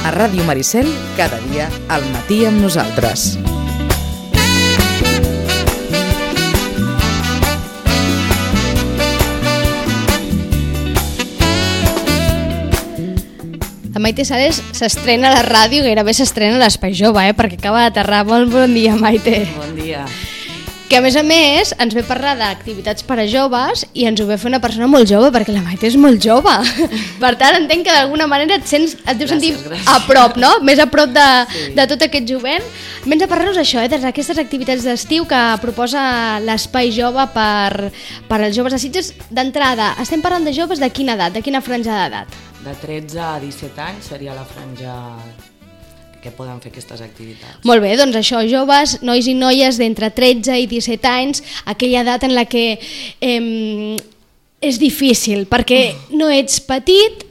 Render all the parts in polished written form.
A Ràdio Maricel, cada dia al matí amb nosaltres. La Maite Sales s'estrena a la ràdio, gairebé s'estrena a l'Espai Jove, perquè acaba d'aterrar. Molt bon dia, Maite. Bon dia. Que a més ens ve parlar d'activitats per a joves i ens ho ve fer una persona molt jove, perquè la Maite és molt jove. Per tant, entenc que d'alguna manera et deus sentir a prop, no? Més a prop de tot aquest jovent. Vens a parlar-nos això, d'aquestes activitats d'estiu que proposa l'Espai Jove per als joves de Sitges. D'entrada, estem parlant de joves de quina edat, de quina franja d'edat? De 13 a 17 anys seria la franja que poden fer aquestes activitats. Molt bé, doncs això, joves, nois i noies d'entre 13 i 17 anys, aquella edat en la que és difícil, perquè no ets petit,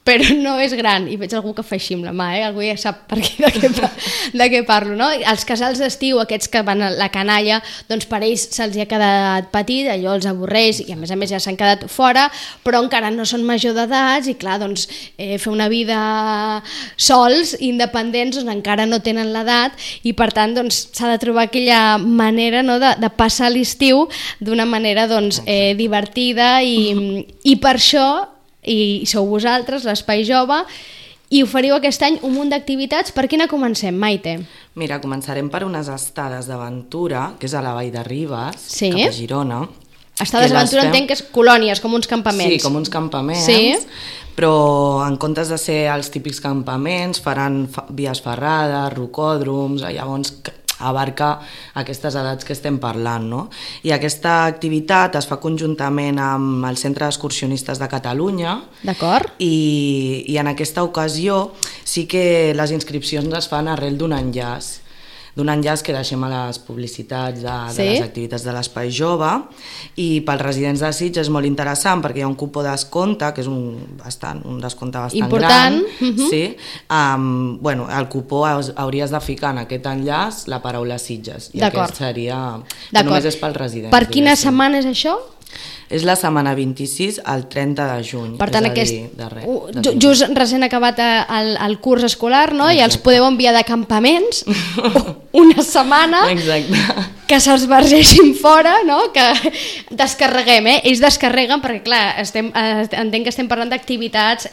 però no és gran. I veig algú que fa així amb la mà, algú ja sap per aquí de què parlo, no? Els casals d'estiu, aquests que van a la canalla, doncs per ells se'ls ha quedat petit, allò els avorreix i a més ja s'han quedat fora, però encara no són major d'edats i clar, doncs fer una vida sols, independents, doncs encara no tenen l'edat i per tant doncs s'ha de trobar aquella manera, no, de passar l'estiu d'una manera doncs divertida i per això i sou vosaltres, l'Espai Jove, i oferiu aquest any un munt d'activitats. Per quina comencem, Maite? Mira, començarem per unes estades d'aventura, que és a la Vall de Ribes, sí, cap a Girona. Estades d'aventura entenc que és colònies, com uns campaments. Sí, com uns campaments, sí, però en comptes de ser els típics campaments, faran vies ferrades, rocòdroms, llavors abarca aquestes edats que estem parlant, no? I aquesta activitat es fa conjuntament amb el Centre d'Excursionistes de Catalunya. D'acord. I en aquesta ocasió sí que les inscripcions es fan arrel d'un enllaç que deixem a les publicitats de les activitats de l'Espai Jove, i pels residents de Sitges és molt interessant perquè hi ha un cupó de descompte, que és un descompte bastant important, gran. Sí. El cupó hauries de ficar en aquest enllaç la paraula Sitges, i aquest seria... Només és pels residents. Per quina setmana és això? És la setmana 26 al 30 de juny. Per tant, just recent acabat el curs escolar, no? I els podeu enviar de campaments una setmana. Exacte. Que se'ls vergeixin fora, no? Que descarreguem, Ells descarreguen perquè, clar, entenc que estem parlant d'activitats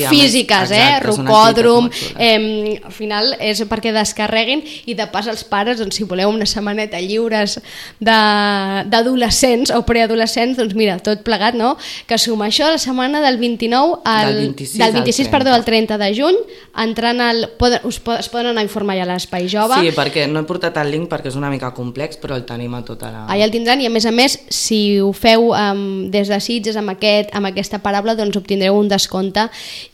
físiques, rocòdrom, al final és perquè descarreguin i de pas els pares, doncs, si voleu una setmaneta lliures d'adolescents o preadolescents, doncs mira, tot plegat, no? Que suma això la setmana del 29 del 26 al 30 de juny, entrant es poden anar a informar ja a l'Espai Jove. Sí, perquè no he portat el link perquè és una mica complex, però el tenim a tota la... Allà el tindran, i a més, si ho feu des de Sitges amb aquesta paraula, doncs obtindreu un descompte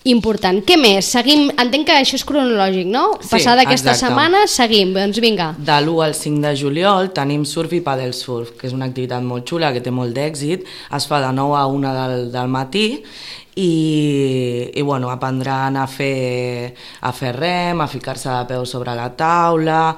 important. Què més? Seguim, entenc que això és cronològic, no? Sí, passada aquesta setmana, seguim, doncs vinga. De l'1 al 5 de juliol tenim surf i paddle surf, que és una activitat molt xula, que té molt d'èxit, es fa de 9 a 1 del matí, i aprendran a fer rem, a ficar-se de peu sobre la taula,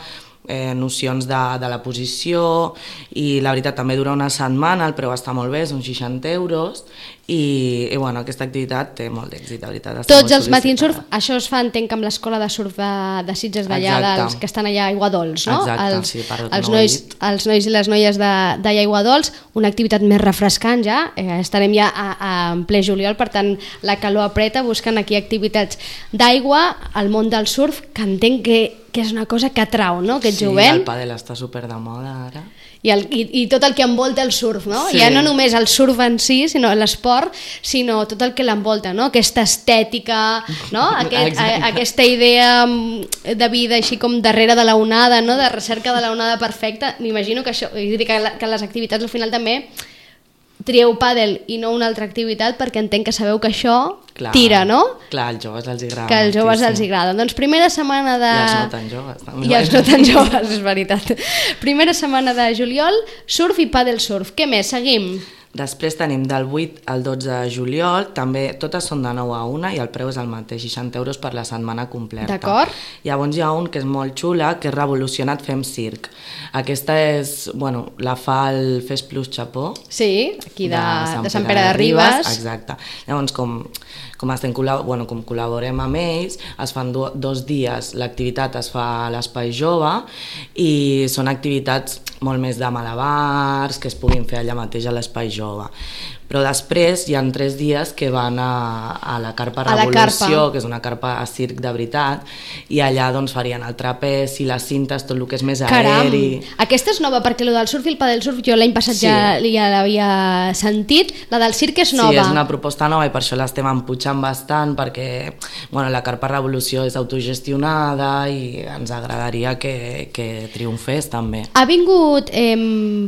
nocions de la posició, i la veritat també dura una setmana, el preu està molt bé, són 60 euros, i aquesta activitat té molt d'èxit, la veritat. Tots els matins surf, això es fa, entenc, amb l'escola de surf de Sitges d'allà, que estan allà a Aiguadols, no? Exacte, sí, per els nois i les noies d'allà a Aiguadols, una activitat més refrescant ja, estarem ja en ple juliol, per tant la calor apreta, buscant aquí activitats d'aigua, al món del surf, que entenc que és una cosa que atrau, no? Aquest jovent. Sí, el pàdel està super de moda ara. I tot el que envolta el surf, no? Sí. Ja no només el surf en si, sinó l'esport, sinó tot el que l'envolta, no? Aquesta estètica, no? Aquesta idea de vida així com darrere de la onada, no? De recerca de la onada perfecta. M'imagino que això, que les activitats al final també trieu pàdel i no una altra activitat, perquè entenc que sabeu que això tira, no? Clar, als joves els agrada. Que als joves els agrada. Doncs primera setmana de... I els no tan joves, també. I els no tan joves, és veritat. Primera setmana de juliol, surf i pàdel surf. Què més? Seguim. Després tenim del 8 al 12 de juliol, també totes són de 9 a 1 i el preu és el mateix, 60 euros per la setmana completa. D'acord. Llavors hi ha un que és molt xula, que és Revolucionat Fem Circ. Aquesta és, bueno, la fa el Fes Plus Chapó. Sí, aquí de Sant Pere de Ribes. Exacte. Llavors, com col·laborem amb ells, es fan 2 dies, l'activitat es fa a l'Espai Jove i són activitats molt més de malabars, que es puguin fer allà mateix a l'Espai Jove. Però després hi ha 3 dies que van a la Carpa Revolució, que és una carpa a circ de veritat, i allà doncs farien el trapez i les cintes, tot el que és més aeri. Aquesta és nova, perquè el del surf i el padel surf jo l'any passat ja l'havia sentit, la del circ és nova. Sí, és una proposta nova i per això l'estem emputxant bastant, perquè la Carpa Revolució és autogestionada i ens agradaria que triomfés també. Ha vingut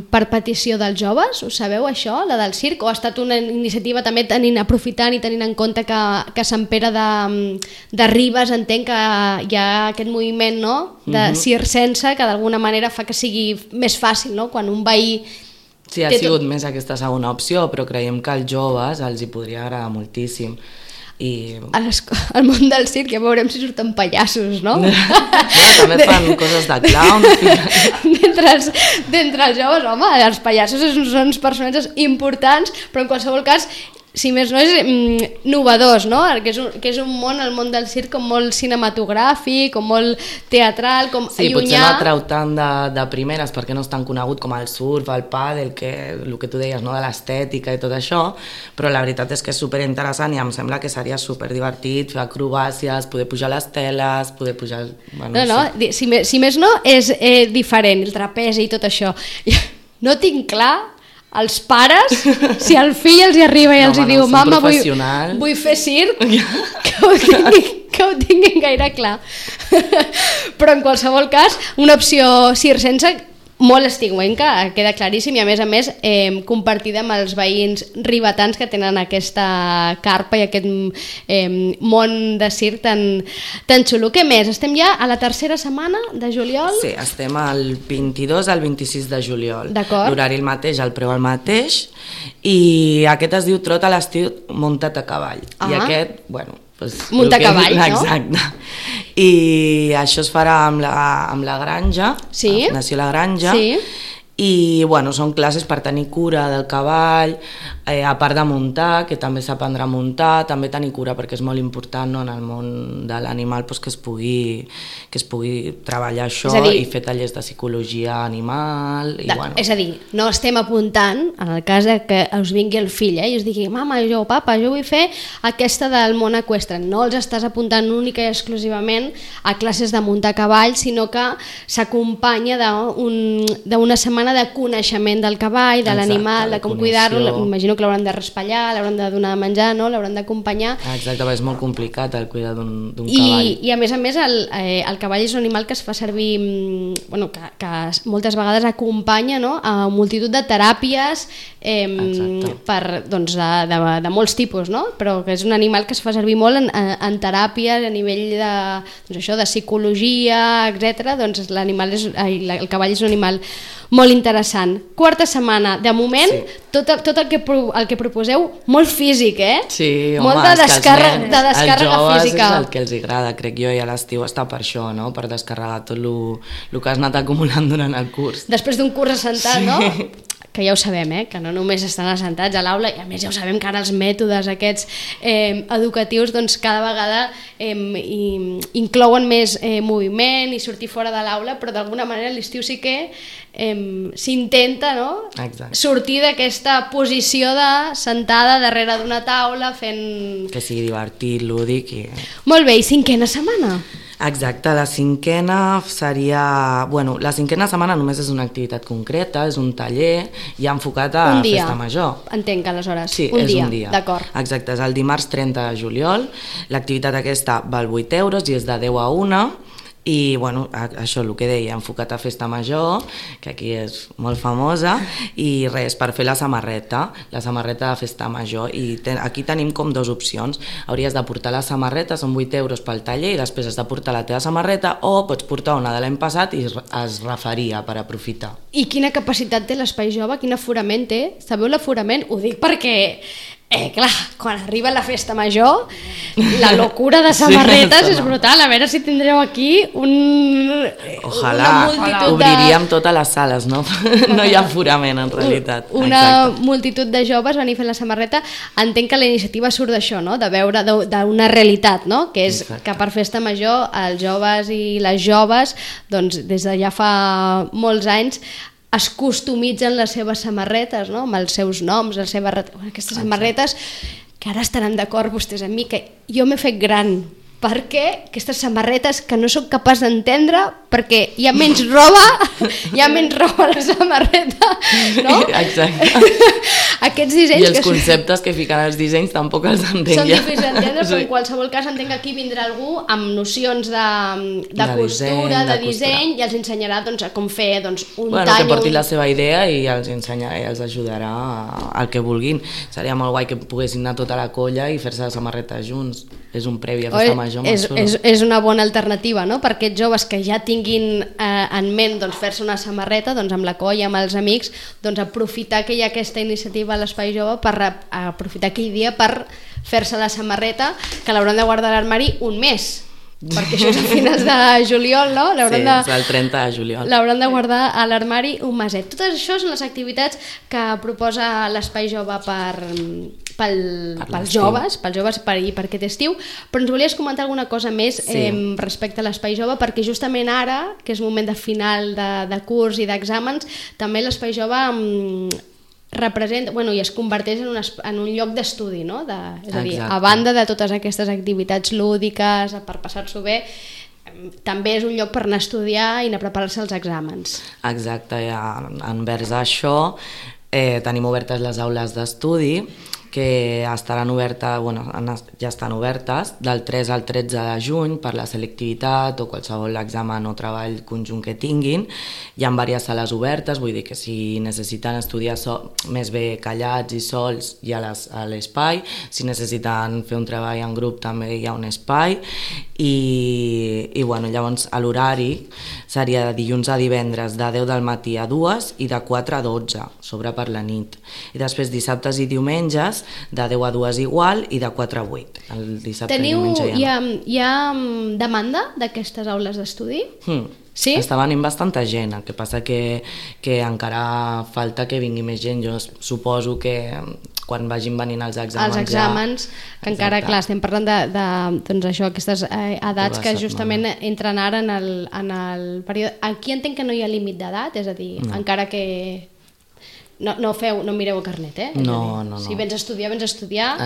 per petició dels joves, ho sabeu això, la del circ, o ha estat una iniciativa també aprofitant i tenint en compte que Sant Pere de Ribes entenc que hi ha aquest moviment de circense que d'alguna manera fa que sigui més fàcil, no? Quan un veí... Sí, ha sigut més aquesta segona opció, però creiem que als joves els hi podria agradar moltíssim. Al món del circ ja veurem si surten pallassos, no? També fan coses de clown. D'entre els joves, home, els pallassos són uns personatges importants, però en qualsevol cas, si més no, és novedós, no? Que és un món, el món del circ, com molt cinematogràfic, com molt teatral, com sí, llunyà. Potser no atrau tant de primeres perquè no és tan conegut com el surf, el pàdel, el que tu deies, no? De l'estètica i tot això, però la veritat és que és superinteressant i em sembla que seria superdivertit fer acrobàcies, poder pujar les teles, poder pujar... Si més no, és diferent, el trapezi i tot això. No tinc clar els pares, si el fill els hi arriba i els hi diu mama, vull fer circ, que ho tinguin gaire clar. Però en qualsevol cas, una opció circense molt estigüenca, queda claríssim, i a més compartida amb els veïns ribetans que tenen aquesta carpa i aquest món de circ tan xulo. Què més? Estem ja a la tercera setmana de juliol? Sí, estem al 22 al 26 de juliol. D'acord. L'horari el mateix, el preu el mateix, i aquest es diu Trot a l'estiu muntat a cavall. I aquest, muntar a cavall, no? Exacte. I això es farà amb la granja, sí? La Fundació La Granja, sí? I són classes per tenir cura del cavall, a part de muntar, que també s'aprendrà a muntar, també tenir cura perquè és molt important, no, en el món de l'animal que es pugui treballar això i fer tallers de psicologia animal. És a dir, no estem apuntant, en el cas que us vingui el fill i us digui, mama, papa, jo vull fer aquesta del món eqüestre. No els estàs apuntant única i exclusivament a classes de muntar a cavall, sinó que s'acompanya d'una setmana de coneixement del cavall, de l'animal, de com cuidar-lo. Imagino que l'hauran de raspallar, l'hauran de donar de menjar, no? L'hauran d'acompanyar. Exacte, és molt complicat el cuidar d'un cavall. I a més el cavall és un animal que es fa servir, que moltes vegades acompanya, no? A multitud de teràpies de molts tipus, no? Però que és un animal que es fa servir molt en teràpies a nivell de psicologia, etc. Doncs el cavall és un animal molt interessant. Quarta setmana, de moment, sí. tot el que proposeu, molt físic, Sí, home, molt de descàrrega física. És el que els agrada, crec jo, i a l'estiu està per això, no? Per descarregar tot el que has anat acumulant durant el curs. Després d'un curs assentat, no? Que ja ho sabem, que no només estan assentats a l'aula, i a més ja ho sabem que ara els mètodes aquests educatius cada vegada inclouen més moviment i sortir fora de l'aula, però d'alguna manera a l'estiu sí que s'intenta, no? Sortir d'aquesta posició de sentada darrere d'una taula fent... Que sigui divertit, lúdic i... Molt bé, i cinquena setmana? Exacte, la cinquena seria... la cinquena setmana només és una activitat concreta, és un taller ja enfocat a festa major. Entenc, aleshores. Sí, un dia. D'acord. Exacte, és el dimarts 30 de juliol. L'activitat aquesta val 8 euros i és de 10 a 1 I bueno, això, el que deia, enfocat a festa major, que aquí és molt famosa, i res, per fer la samarreta de festa major, i aquí tenim com dues opcions. Hauries de portar la samarreta, són 8 euros pel taller, i després has de portar la teva samarreta, o pots portar una de l'any passat i es refaria per aprofitar. I quina capacitat té l'Espai Jove? Quin aforament té? Sabeu l'aforament? Ho dic perquè clar, quan arriba la festa major, la locura de samarretes és brutal. A veure si tindreu aquí una multitud obriríem totes les sales, no? No hi ha aforament, en realitat. Una multitud de joves venir fent la samarreta. Entenc que la iniciativa surt d'això, no? De veure d'una realitat, no? Que és que per festa major els joves i les joves, doncs des de ja fa molts anys, es customitzen les seves samarretes, no? Amb els seus noms, aquestes samarretes, que ara estaran d'acord vostès amb mi, que jo m'he fet gran perquè aquestes samarretes que no soc capaç d'entendre, perquè hi ha menys roba a la samarreta, no? Exacte. Aquests dissenys... I els conceptes que fiquen els dissenys tampoc els entenc. Són difícils d'entendre, però en qualsevol cas entenc que aquí vindrà algú amb nocions de costura, de disseny, i els ensenyarà com fer un tall... Que porti la seva idea i els ensenyarà i els ajudarà al que vulguin. Seria molt guai que poguessin anar tota la colla i fer-se la samarreta junts. És un previ a festa major molt xulo. És una bona alternativa, no? Per aquests joves que ja tinguin en ment fer-se una samarreta, amb la colla, amb els amics, aprofitar que hi ha aquesta iniciativa a l'Espai Jove per aprofitar aquell dia per fer-se la samarreta, que l'hauran de guardar a l'armari un mes, perquè això és a finals de juliol, no? Sí, és el 30 de juliol. L'hauran de guardar a l'armari un meset. Totes això són les activitats que proposa l'Espai Jove pels joves i per aquest estiu, però ens volies comentar alguna cosa més respecte a l'Espai Jove, perquè justament ara, que és moment de final de curs i d'exàmens, també l'Espai Jove representa, i es converteix en un lloc d'estudi, no? És a dir, a banda de totes aquestes activitats lúdiques per passar-s'ho bé, també és un lloc per anar a estudiar i anar a preparar-se als exàmens. Exacte, envers això tenim obertes les aules d'estudi, que estaran obertes, ja estan obertes del 3 al 13 de juny per la selectivitat o qualsevol examen o treball conjunt que tinguin. Hi ha diverses sales obertes, vull dir que si necessiten estudiar més bé callats i sols hi ha a l'espai, si necessiten fer un treball en grup també hi ha un espai i llavors l'horari seria de dilluns a divendres de 10 del matí a 2 i de 4 a 12 sobre per la nit, i després dissabtes i diumenges de 10 a 2 igual i de 4 a 8. El dissabte i diumenge hi ha demanda d'aquestes aules d'estudi? Sí? Està venint bastanta gent, el que passa que encara falta que vingui més gent. Jo suposo que quan vagin venint els exàmens que encara, clar, estem parlant aquestes edats que justament entren ara en el període. Aquí entenc que no hi ha límit d'edat, és a dir, encara que no mireu el carnet, No. Si vens a estudiar,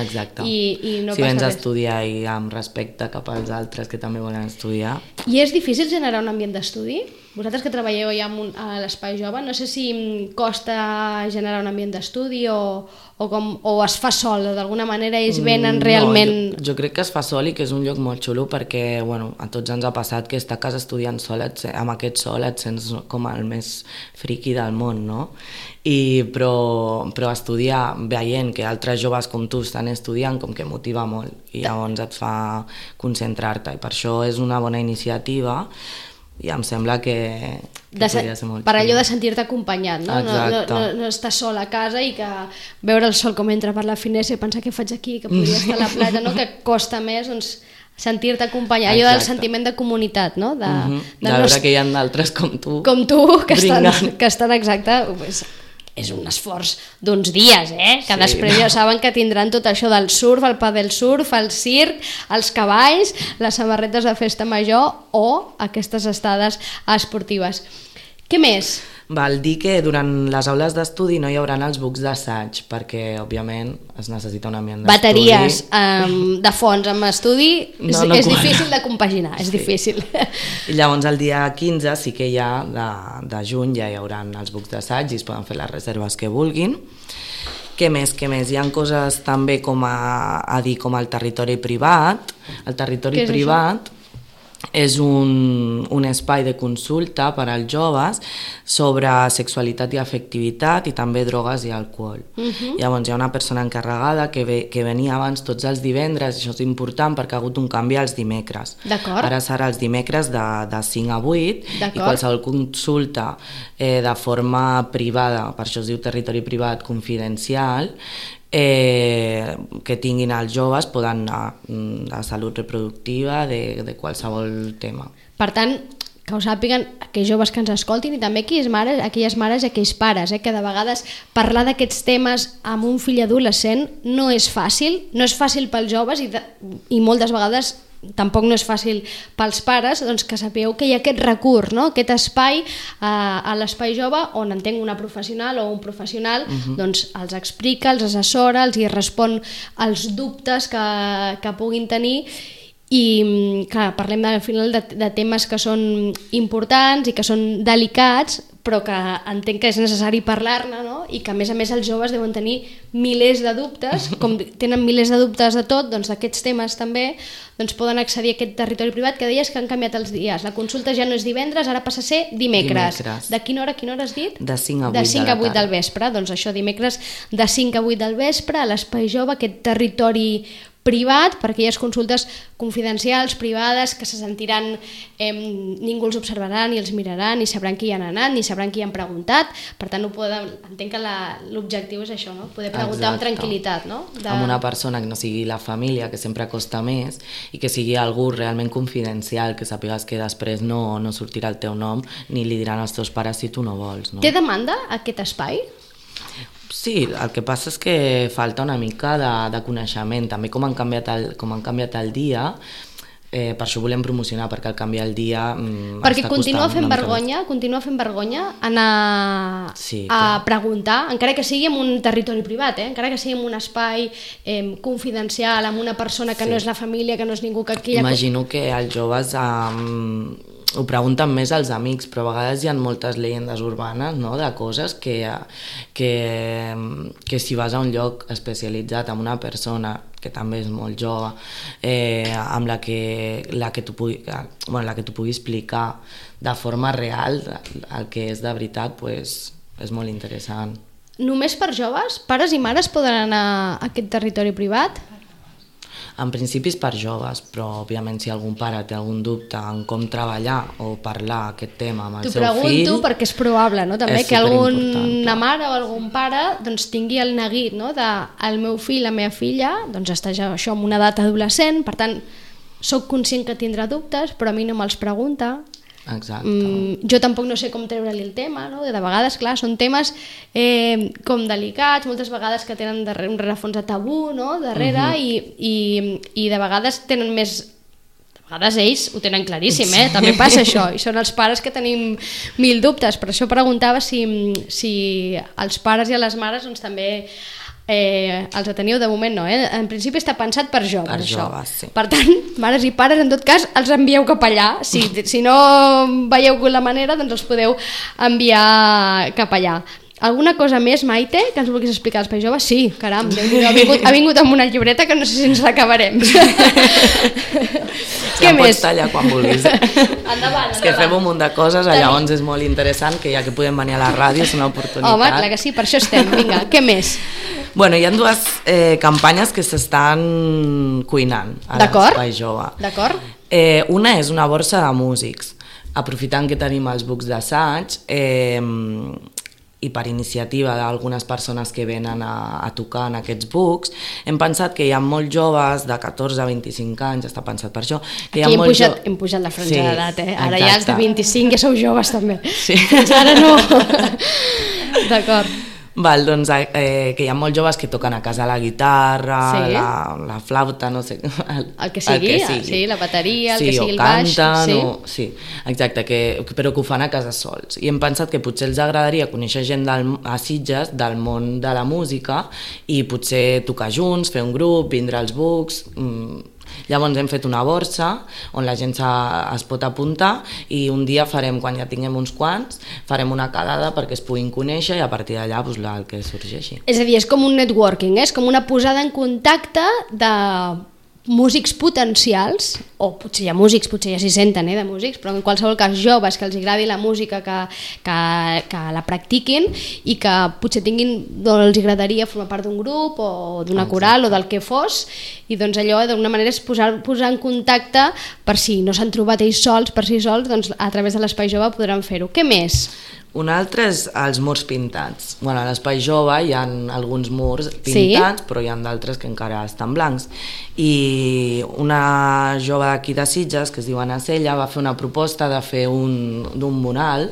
exacte. I no si passa vens a res. estudiar i amb respecte cap als altres que també volen estudiar. I és difícil generar un ambient d'estudi? Vosaltres que treballeu ja a l'Espai Jove, no sé si costa generar un ambient d'estudi o es fa sol, d'alguna manera ells venen realment... Jo crec que es fa sol i que és un lloc molt xulo perquè a tots ens ha passat que estar a casa estudiant sol, amb aquest sol et sents com el més friqui del món, no? Però estudiar veient que altres joves com tu estan estudiant com que motiva molt i llavors et fa concentrar-te, i per això és una bona iniciativa i em sembla que podria ser molt per allò de sentir-te acompanyat, no? No estar sol a casa i que veure el sol com entra per la finestra i pensar què faig aquí, que podria estar a la platja, no? Que costa més sentir-te acompanyat, allò del sentiment de comunitat, no? De veure que hi ha d'altres com tu que estan exacte, és un esforç d'uns dies, que després ja saben que tindran tot això del surf, el padel surf, el circ, els cavalls, les samarretes de festa major o aquestes estades esportives. Què més? Val dir que durant les aules d'estudi no hi haurà els bucs d'assaig perquè, òbviament, es necessita un ambient d'estudi. Bateries de fons amb estudi és difícil de compaginar, és difícil. I llavors el dia 15 sí que ja de juny ja hi haurà els bucs d'assaig i es poden fer les reserves que vulguin. Què més? Hi ha coses també com a dir com el territori privat. El territori privat és un espai de consulta per als joves sobre sexualitat i afectivitat i també drogues i alcohol. Llavors hi ha una persona encarregada que venia abans tots els divendres, això és important perquè ha hagut un canvi als dimecres. Ara serà els dimecres de 5 a 8 i qualsevol consulta de forma privada, per això es diu territori privat confidencial, que tinguin els joves poden anar de salut reproductiva, de qualsevol tema. Per tant, que ho sàpiguen aquells joves que ens escoltin i també aquelles mares i aquells pares, que de vegades parlar d'aquests temes amb un fill adolescent no és fàcil pels joves i moltes vegades tampoc no és fàcil pels pares, doncs que sapigueu que hi ha aquest recurs, no? Aquest espai a l'espai jove on entenc una professional o un professional doncs els explica, els assessora, els hi respon als dubtes que puguin tenir. I clar, parlem al final de temes que són importants i que són delicats, però que entenc que és necessari parlar-ne, no? I que a més els joves deuen tenir milers de dubtes, com tenen milers de dubtes de tot, doncs d'aquests temes també, doncs poden accedir a aquest territori privat que deies que han canviat els dies. La consulta ja no és divendres, ara passa a ser dimecres. De quina hora has dit? De 5 a 8 de 5 a 8 del vespre. Doncs això, dimecres de 5 a 8 del vespre a l'Espai Jove, aquest territori privat, per aquelles consultes confidencials, privades, que se sentiran, ningú els observarà, ni els mirarà, ni sabran qui hi han anat, ni sabran qui hi han preguntat. Per tant, entenc que l'objectiu és això, no? Poder preguntar amb tranquil·litat, no? Amb una persona que no sigui la família, que sempre costa més, i que sigui algú realment confidencial, que sàpigues que després no sortirà el teu nom, ni li diran als teus pares si tu no vols. No? Té demanda aquest espai? Sí, el que passa és que falta una mica de coneixement, també com han canviat el dia, per això volem promocionar, perquè al canviar el dia perquè continua fent vergonya anar a preguntar, encara que sigui en un territori privat, encara que sigui en un espai confidencial, amb una persona que no és la família, que no és ningú que aquí... Imagino que els joves ho pregunten més als amics, però a vegades hi ha moltes llegendes urbanes, no?, de coses que si vas a un lloc especialitzat amb una persona que també és molt jove, amb la que t'ho pugui explicar de forma real el que és de veritat, pues, és molt interessant. Només per joves? Pares i mares poden anar a aquest territori privat? En principi és per joves, però òbviament si algun pare té algun dubte en com treballar o parlar aquest tema amb el seu fill... T'ho pregunto perquè és probable, no? També que alguna mare o algun pare doncs, tingui el neguit, no? De el meu fill, la meva filla, doncs està ja això en una edat adolescent, per tant, soc conscient que tindrà dubtes, però a mi no me'ls pregunta. Exacte. Jo tampoc no sé com treure-li el tema, no? De vegades, clar, són temes com delicats, moltes vegades que tenen un rerefons de tabú, no? Darrere, i de vegades tenen més... De vegades ells ho tenen claríssim, també passa això, i són els pares que tenim mil dubtes. Per això preguntava si els pares i les mares doncs, també els teniu de moment, no? En principi està pensat per joves, per això. Joves, sí. Per tant, mares i pares, en tot cas, els envieu cap allà. Si no veieu la manera, doncs els podeu enviar cap allà. Alguna cosa més, Maite, que ens vulguis explicar als Espai Jove? Sí, caram, ha vingut amb una llibreta que no sé si ens l'acabarem. Què més? Pots tallar quan vulguis. Endavant. És que fem un munt de coses, llavors és molt interessant que ja que podem venir a la ràdio és una oportunitat. Home, clar que sí, per això estem. Vinga, què més? Bueno, hi ha dues campanyes que s'estan cuinant a l'Espai Jove. D'acord. Una és una borsa de músics. Aprofitant que tenim els bucs d'assaig, i per iniciativa d'algunes persones que venen a tocar en aquests bucs, hem pensat que hi ha molts joves de 14 a 25 anys, està pensat per això. Aquí hem pujat la franja d'edat, ara ja els de 25 ja sou joves també. Sí. Fins ara no. D'acord. Val, doncs que hi ha molts joves que toquen a casa la guitarra, la flauta, no sé... El que sigui, sí, la bateria, el que sigui el baix... Canten, sí, exacte, però que ho fan a casa sols. I hem pensat que potser els agradaria conèixer gent a Sitges del món de la música i potser tocar junts, fer un grup, vindre als bucs... Llavors hem fet una borsa on la gent es pot apuntar i un dia farem, quan ja tinguem uns quants, farem una quedada perquè es puguin conèixer i a partir d'allà el que sorgeixi. És a dir, és com un networking, és com una posada en contacte de músics potencials o potser hi ha músics, potser ja s'hi senten de músics, però en qualsevol cas joves que els agradi la música, que la practiquin i que potser els agradaria formar part d'un grup o d'una coral o del que fos, i doncs allò d'alguna manera és posar en contacte per si no s'han trobat ells sols, per si sols, doncs a través de l'Espai Jove podran fer-ho. Què més? Un altre és els murs pintats. A l'Espai Jove hi ha alguns murs pintats, però hi ha d'altres que encara estan blancs. I una jove d'aquí de Sitges, que es diu Ana Sella, va fer una proposta de fer d'un mural,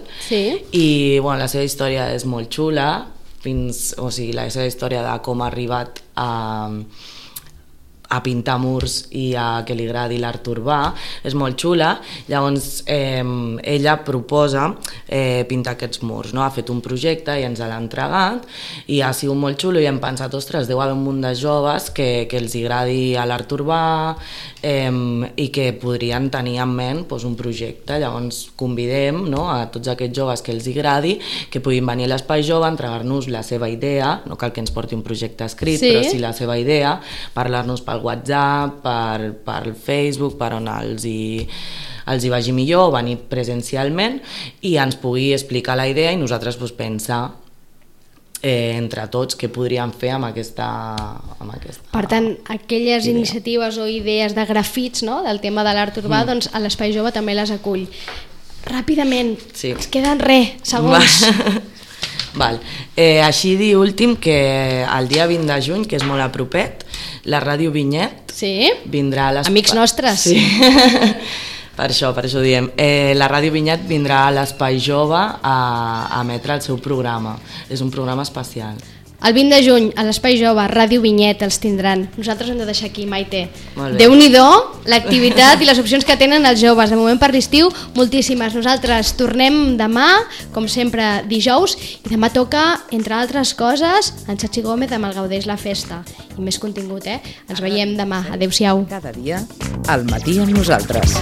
i la seva història és molt xula, la seva història de com ha arribat a pintar murs i a que li agradi l'art urbà, és molt xula. Llavors ella proposa pintar aquests murs, ha fet un projecte i ens l'ha entregat i ha sigut molt xulo i hem pensat, ostres, deu haver un munt de joves que els agradi l'art urbà i que podrien tenir en ment un projecte. Llavors convidem a tots aquests joves que els agradi que puguin venir a l'Espai Jove a entregar-nos la seva idea, no cal que ens porti un projecte escrit, però sí la seva idea, parlar-nos pel WhatsApp, per Facebook, per on els hi vagi millor, venir presencialment i ens pugui explicar la idea i nosaltres pensar entre tots què podríem fer amb aquesta... Per tant, aquelles iniciatives o idees de grafits del tema de l'art urbà, doncs a l'Espai Jove també les acull. Ràpidament, ens queden segons. Així dir últim que el dia 20 de juny, que és molt a propet, la Ràdio Vinyet vindrà a l'Espai... Amics nostres. Sí. Per això diem. La Ràdio Vinyet vindrà a l'Espai Jove a emetre el seu programa. És un programa especial. El 20 de juny, a l'Espai Jove, Ràdio Vinyet els tindran. Nosaltres hem de deixar aquí, Maite. Déu-n'hi-do l'activitat i les opcions que tenen els joves. De moment per l'estiu, moltíssimes. Nosaltres tornem demà, com sempre dijous, i demà toca, entre altres coses, en Chachi Gómez amb el Gaudeix la Festa. I més contingut, Ens veiem demà. Adéu-siau. Cada dia, al matí amb nosaltres.